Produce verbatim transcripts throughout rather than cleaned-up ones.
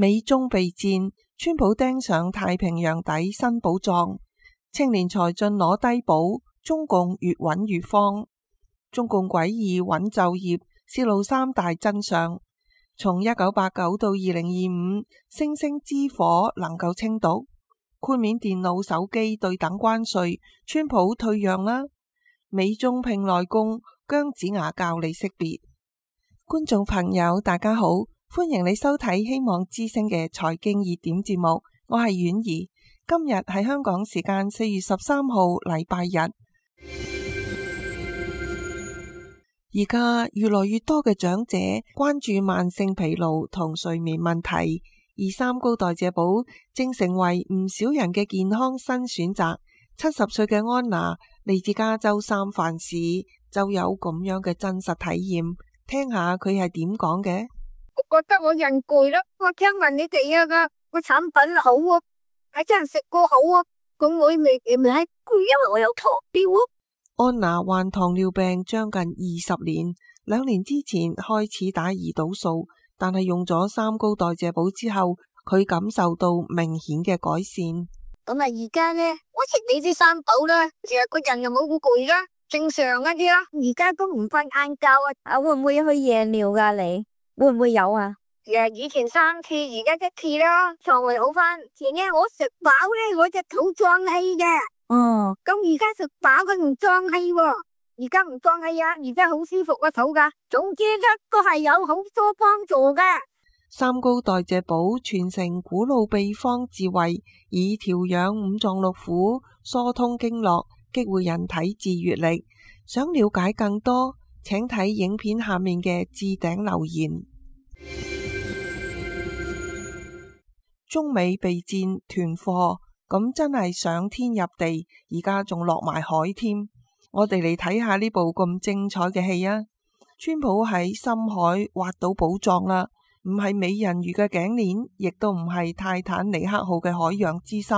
美中備戰，川普盯上太平洋底新寶藏，青年才俊攞低寶，中共越揾越慌。中共詭異穩就業，泄露三大真相。從一九八九到二零二五，星星之火能夠清毒，豁免電腦手機對等關稅，川普退讓啦。美中拼內功，姜子牙教你識別。觀眾朋友大家好，歡迎你收睇希望之聲嘅財經熱點節目，我係婉儀。今日係香港時間四月十三號禮拜日。而家越來越多嘅長者關注慢性疲勞同睡眠問題，而三高代謝寶正成為唔少人嘅健康新選擇。七十歲嘅安娜嚟自加州三藩市，就有咁樣嘅真實體驗，聽下佢係點講嘅。我覺得我人攰啦，我聽聞你哋啊個個產品好啊，係真係食過好啊，咁我未唔係攰，因為我有糖尿啊。安娜患糖尿病將近二十年，兩年之前開始打胰島素，但係用咗三高代謝寶之後，佢感受到明顯嘅改善。咁啊，而家呢，我食你啲三寶啦，成日個人又冇咁攰啦，正常一啲啦。而家都唔瞓晏覺啊，啊會唔會去夜尿噶？你會唔會有啊？誒，以前三次，而家一次啦，腸胃好翻。前呢我食飽咧，我隻肚脹氣嘅。哦，咁而家食飽佢唔脹氣喎，而家唔脹氣啊，而家好舒服個肚噶。總之一個係有好多幫助嘅。三高代謝寶傳承古老秘方智慧，以調養五臟六腑、疏通經絡、激活人體自愈力。想了解更多，請睇影片下面嘅置頂留言。中美備戰囤貨，咁真係上天入地，而家仲落埋海添。我哋嚟睇下呢部咁精彩嘅戲啊！川普喺深海挖到寶藏啦，唔係美人魚嘅頸鏈，亦都唔係泰坦尼克號嘅海洋之心。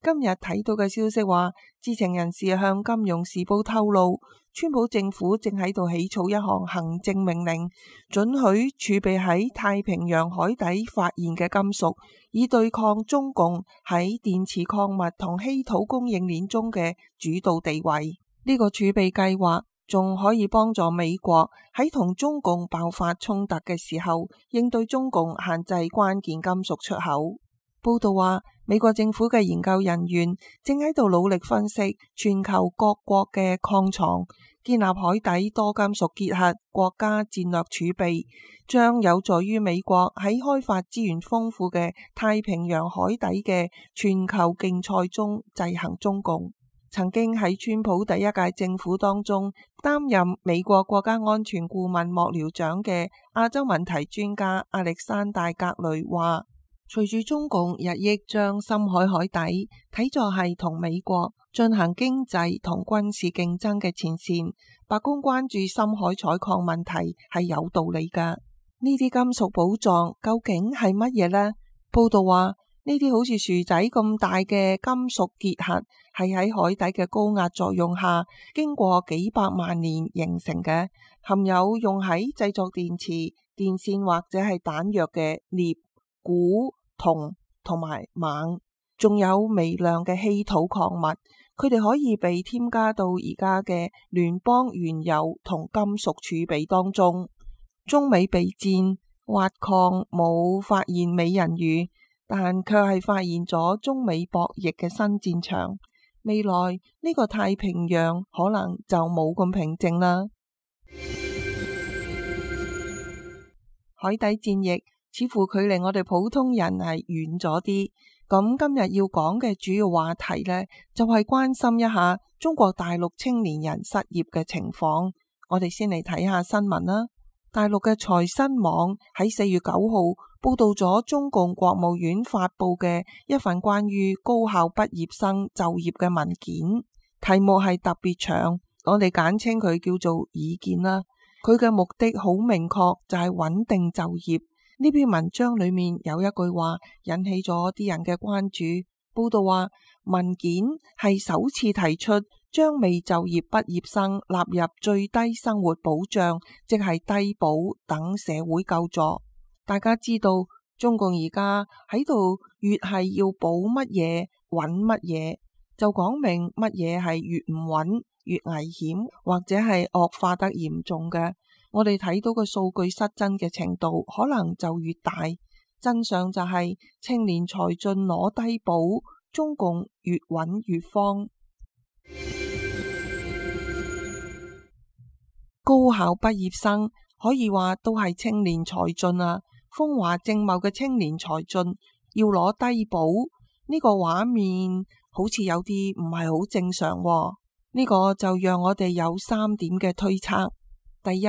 今日睇到嘅消息話，知情人士向金融時報透露，川普政府正喺度起草一項行政命令，准許儲備喺太平洋海底發現嘅金屬，以對抗中共喺電池礦物同稀土供應鏈中嘅主導地位。呢個儲備計劃仲可以幫助美國喺同中共爆發衝突嘅時候，應對中共限制關鍵金屬出口。報道話，美國政府嘅研究人員正喺度努力分析全球各國嘅礦床，建立海底多金屬結合國家戰略儲備，將有助於美國喺開發資源豐富嘅太平洋海底嘅全球競賽中制衡中共。曾經喺川普第一屆政府當中擔任美國國家安全顧問幕僚長嘅亞洲問題專家亞歷山大格雷話，隨住中共日益將深海海底睇作係同美國進行經濟同軍事競爭嘅前線，白宮關注深海採礦問題係有道理㗎。呢啲金屬寶藏究竟係乜嘢呢？報道話，呢啲好似薯仔咁大嘅金屬結核係喺海底嘅高壓作用下，經過幾百萬年形成嘅，含有用喺製作電池、電線或者係彈藥嘅鎳、鈷、銅同埋錳，仲有微量嘅稀土礦物，佢哋可以被添加到而家嘅聯邦原油同金屬儲備當中。中美備戰挖礦冇發現美人魚，但卻係發現咗中美博弈嘅新戰場。未來呢個太平洋可能就冇咁平靜啦。海底戰役似乎距離我哋普通人係遠咗啲。咁今日要講嘅主要話題呢，就係關心一下中國大陸青年人失業嘅情況。我哋先嚟睇下新聞啦。大陸嘅財新網喺四月九號報道咗中共國務院發佈嘅一份關於高校畢業生就業嘅文件，題目係特別長，我哋簡稱佢叫做意見啦。佢嘅目的好明確，就係穩定就業。呢篇文章裏面有一句話引起咗啲人嘅關注。報道話，文件係首次提出將未就業畢業生納入最低生活保障，即係低保等社會救助。大家知道中共而家喺度越係要保乜嘢穩乜嘢，就講明乜嘢係越唔穩越危險，或者係惡化得嚴重嘅。我哋睇到個數據失真嘅程度可能就越大。真相就係青年才俊攞低保，中共越穩越慌。高考畢業生可以話都係青年才俊啊！風華正茂嘅青年才俊要攞低保，呢個畫面好似有啲唔係好正常喎。呢個就讓我哋有三點嘅推測。第一，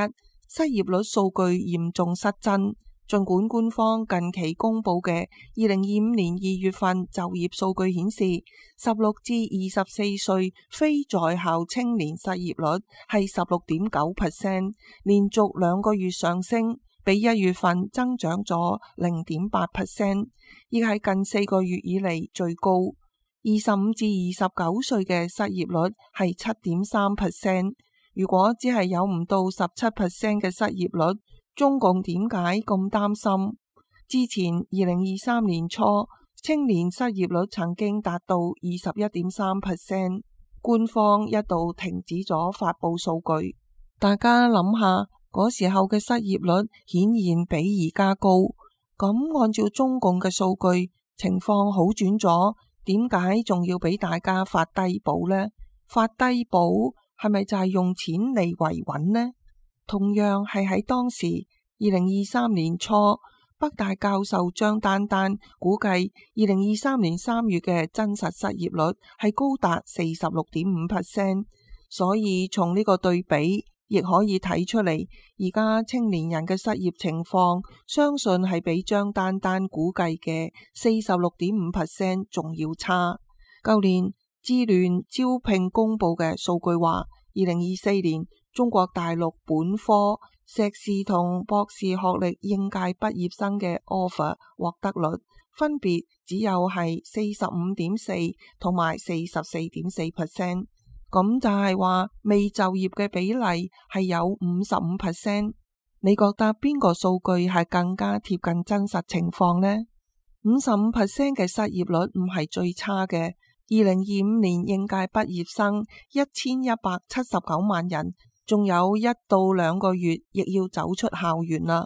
失業率數據嚴重失真。儘管官方近期公布嘅二零二五年二月份就業數據顯示，十六至二十四歲非在校青年失業率係十六點九 percent， 連續兩個月上升，比一月份增長咗零點八 percent， 亦係近四個月以嚟最高。二十五至二十九歲嘅失業率係七點三 percent。如果只係有唔到十七 percent 嘅失業率，中共點解咁擔心？之前二零二三年初，青年失業率曾經達到二十一點三 percent， 官方一度停止咗發佈數據。大家諗下，嗰時候嘅失業率顯然比而家高。咁按照中共嘅數據，情況好轉咗，點解仲要俾大家發低保呢？發低保係咪就係用錢嚟維穩呢？同樣係喺當時二零二三年初，北大教授張丹丹估計二零二三年三月嘅真實失業率係高達四十六點五 percent， 所以從呢個對比亦可以睇出嚟，而家青年人嘅失業情況相信係比張丹丹估計嘅四十六點五 percent 仲要差。舊年智聯招聘公布嘅數據話，二零二四年中國大陸本科、碩士同博士學歷應屆畢業生嘅 offer 獲得率分別只有係四十五點四同埋四十四點四 percent， 咁就係話未就業嘅比例係有五十五 percent。你覺得邊個數據係更加貼近真實情況呢？五十五 percent 嘅失業率唔係最差嘅。二零二五年應屆畢業生一千一百七十九萬人，仲有一到兩個月亦要走出校園啦。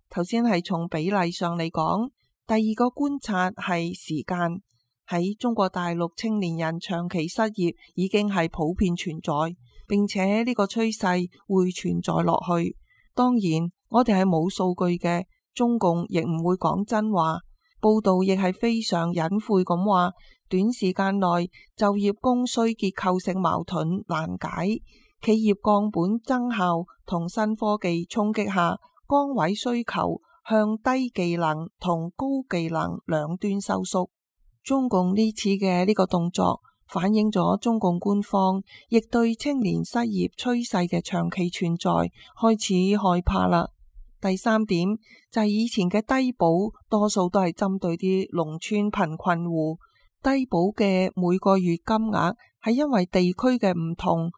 頭先係從比例上嚟講，第二個觀察係時間。喺中國大陸青年人長期失業已經係普遍存在，並且呢個趨勢會存在落去。當然，我哋係冇數據嘅，中共亦唔會講真話。報道亦係非常隱晦咁話，短時間內就業供需結構性矛盾難解，企業降本增效同新科技衝擊下，崗位需求向低技能同高技能兩端收縮。中共呢次嘅呢個動作反映咗中共官方亦對青年失業趨勢嘅長期存在開始害怕啦。第三點就係以前嘅低保多數都係針對啲農村貧困戶，低保嘅每個月金額係因為地區嘅唔同，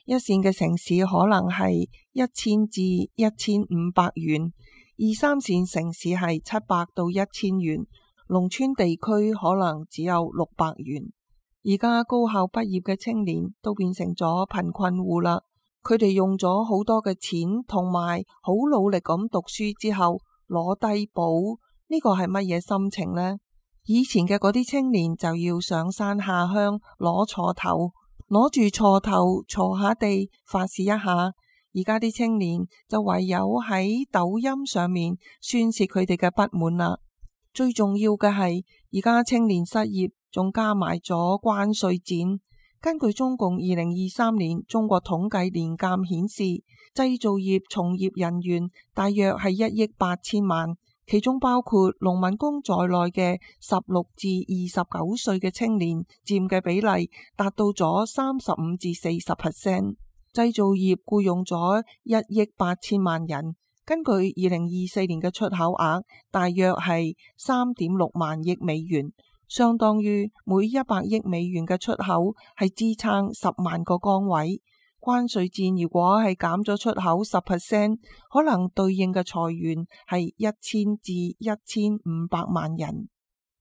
一線嘅城市可能係一千至一千五百元，二三線城市係七百到一千元，農村地區可能只有六百元。而家高校畢業嘅青年都變成咗貧困戶啦。佢哋用咗好多嘅錢，同埋好努力咁讀書之後攞低保，呢個係乜嘢心情呢？以前嘅嗰啲青年就要上山下鄉攞鋤頭，攞住鋤頭鋤下地發洩一下。而家啲青年就唯有喺抖音上面宣洩佢哋嘅不滿啦。最重要嘅係，而家青年失業仲加埋咗關稅戰。根據中共二零二三年中國統計年鑑顯示，製造業從業人員大約係一億八千萬，其中包括農民工在內嘅十六至二十九歲嘅青年佔嘅比例達到咗三十五至四十 percent。製造業僱用咗一億八千萬人，根據二零二四年嘅出口額大約係三點六萬億美元。相當於每一百億美元嘅出口係支撐十萬個崗位，關稅戰如果係減咗出口十 percent， 可能對應嘅裁員係一千至一千五百萬人。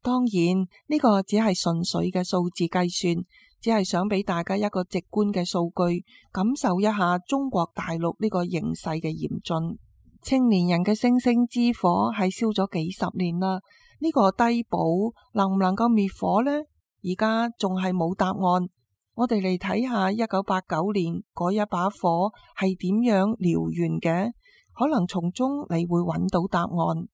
當然呢個只係純粹嘅數字計算，只係想俾大家一個直觀嘅數據，感受一下中國大陸呢個形勢嘅嚴峻。青年人嘅星星之火係燒咗幾十年啦，呢個低保能唔能夠滅火呢？而家仲係冇答案。我哋嚟睇下一九八九年嗰一把火係點樣燎原嘅，可能從中你會揾到答案。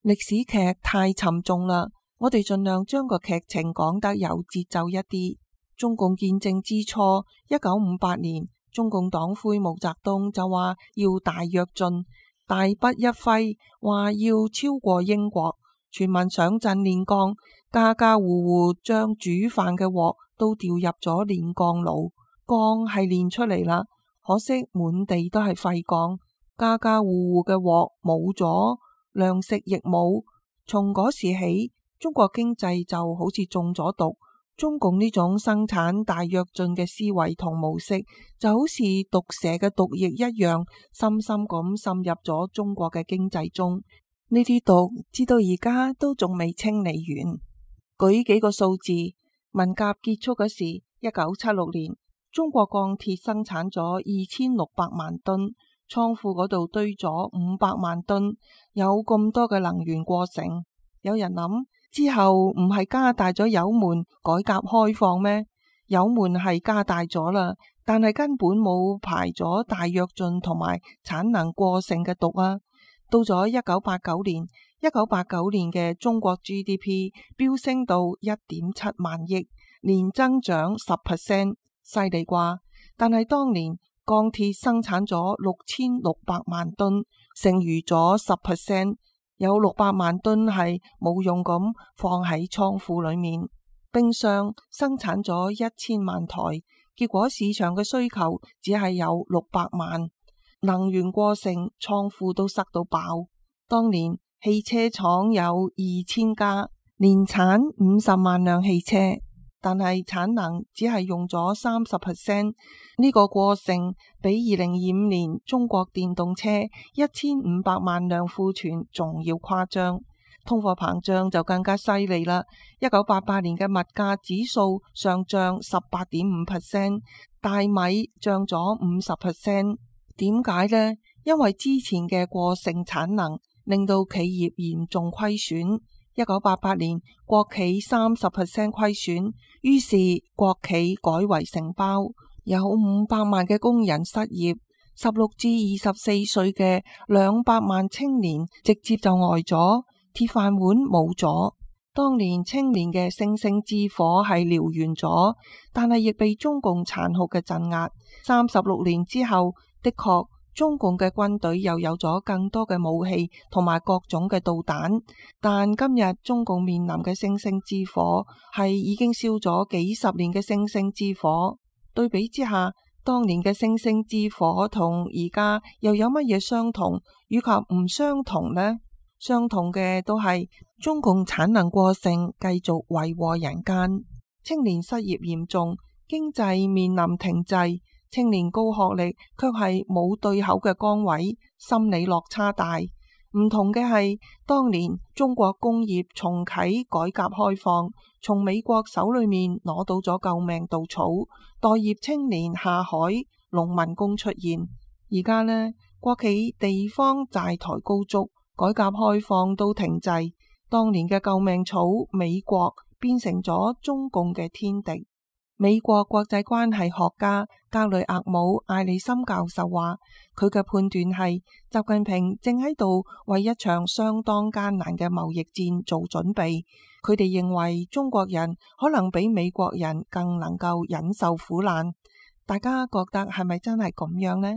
歷史劇太沉重啦，我哋盡量將個劇情講得有節奏一啲。中共建政之初，一九五八年，中共黨魁毛澤東就話要大躍進，大筆一揮，話要超過英國。全民上陣煉鋼，家家戶戶將煮飯嘅鑊都掉入咗煉鋼爐，鋼係煉出嚟啦，可惜滿地都係廢鋼，家家戶戶嘅鑊冇咗，糧食亦冇。從嗰時起，中國經濟就好似中咗毒。中共呢種生產大躍進嘅思維同模式，就好似毒蛇嘅毒液一樣，深深咁滲入咗中國嘅經濟中。呢啲毒至到而家都仲未清理完。舉幾個數字，文革結束嗰時，一九七六年，中國鋼鐵生產咗二千六百萬噸，倉庫嗰度堆咗五百萬噸，有咁多嘅能源過剩。有人諗之後唔係加大咗油門改革開放咩？油門係加大咗啦，但係根本冇排咗大躍進同埋產能過剩嘅毒啊！到咗一九八九年，一九八九年嘅中國 G D P 飆升到一點七萬億，年增長十 percent， 犀利啩？但係當年鋼鐵生產咗六千六百萬噸，剩餘咗十 percent， 有六百萬噸係冇用咁放喺倉庫裏面。冰箱生產咗一千萬台，結果市場嘅需求只係有六百萬。能源過剩，倉庫都塞到爆。當年汽車廠有二千家，年產五十萬輛汽車，但係產能只係用咗三十 percent。呢個過剩比二零二五年中國電動車一千五百萬輛庫存仲要誇張。通貨膨脹就更加犀利啦。一九八八年嘅物價指數上漲十八點五 percent， 大米漲咗五十 percent。點解呢？因為之前嘅過剩產能令到企業嚴重虧損。一九八八年國企三十 percent 虧損，於是國企改為承包，有五百萬嘅工人失業，十六至二十四歲嘅兩百萬青年直接就呆咗，鐵飯碗冇咗。當年青年嘅星星之火係燎原咗，但係亦被中共殘酷嘅鎮壓。三十六年之後，的確，中共嘅軍隊又有咗更多嘅武器同埋各種嘅導彈，但今日中共面臨嘅星星之火係已經燒咗幾十年嘅星星之火。對比之下，當年嘅星星之火同而家又有乜嘢相同，以及唔相同呢？相同嘅都係中共產能過剩，繼續為禍人間，青年失業嚴重，經濟面臨停滯。青年高學歷卻係冇對口嘅崗位，心理落差大。唔同嘅係，當年中國工業重啟改革開放，從美國手裏面攞到咗救命稻草，待業青年下海，農民工出現。而家呢，國企地方債台高築，改革開放都停滯，當年嘅救命草美國變成咗中共嘅天敵。美國國際關係學家格雷厄姆艾利森教授話，佢嘅判斷係習近平正喺度為一場相當艱難嘅貿易戰做準備。佢哋認為中國人可能比美國人更能夠忍受苦難。大家覺得係咪真係咁樣呢？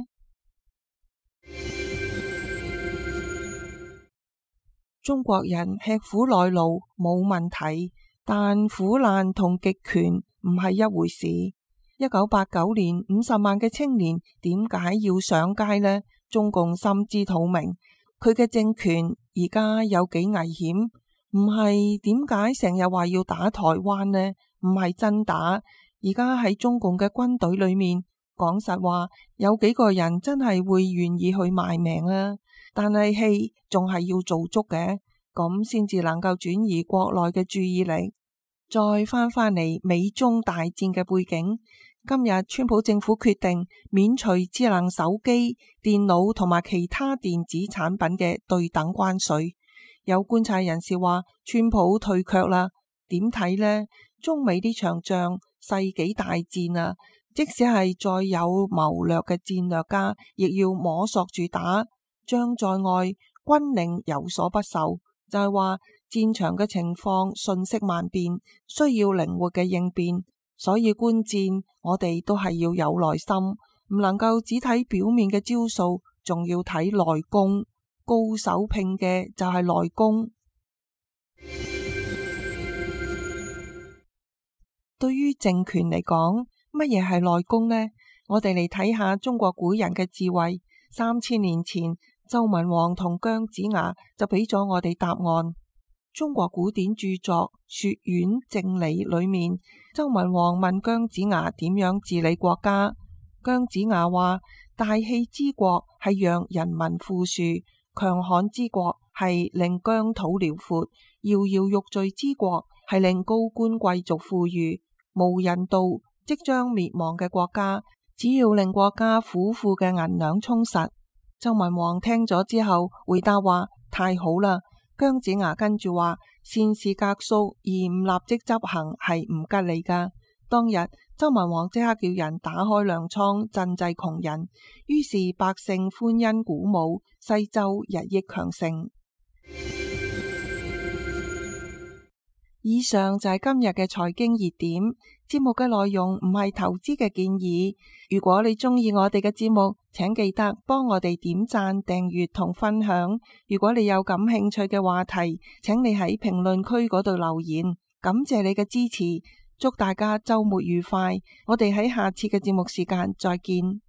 中國人吃苦耐勞冇問題，但苦難同極權唔係一回事。一九八九年五十萬嘅青年點解要上街呢？中共心知肚明，佢嘅政權而家有幾危險，唔係點解成日話要打台灣呢？唔係真打。而家喺中共嘅軍隊裏面，講實話，有幾個人真係會願意去賣命啊？但係戲仲係要做足嘅，咁先至能夠轉移國內嘅注意力。再翻返嚟美中大戰嘅背景，今日川普政府決定免除智能手機、電腦同埋其他電子產品嘅對等關稅。有觀察人士話，川普退卻啦。點睇呢？中美呢場仗世紀大戰啊！即使係再有謀略嘅戰略家，亦要摸索住打。將在外，軍令有所不受，就係話戰場嘅情況瞬息萬變，需要靈活嘅應變。所以觀戰，我哋都係要有耐心，唔能夠只睇表面嘅招數，仲要睇內功。高手拼嘅就係內功。對於政權嚟講，乜嘢係內功呢？我哋嚟睇下中國古人嘅智慧。三千年前，周文王同姜子牙就俾咗我哋答案。中國古典著作《說苑正理》裏面，周文王問姜子牙點樣治理國家。姜子牙話：大氣之國係讓人民富庶，強悍之國係令疆土遼闊，搖搖欲墜之國係令高官貴族富裕。無人道即將滅亡嘅國家，只要令國家府庫嘅銀兩充實。周文王聽咗之後回答話：太好啦！姜子牙跟住話：善事革數而唔立即執行係唔吉利噶。當日周文王即刻叫人打開糧倉賑濟窮人，於是百姓歡欣鼓舞，西周日益強盛。以上就係今日嘅財經熱點。節目嘅內容唔係投資嘅建議。如果你中意我哋嘅節目，請記得幫我哋點讚、訂閱同分享。如果你有感興趣嘅話題，請你喺評論區嗰度留言。感謝你嘅支持，祝大家周末愉快。我哋喺下次嘅節目時間再見。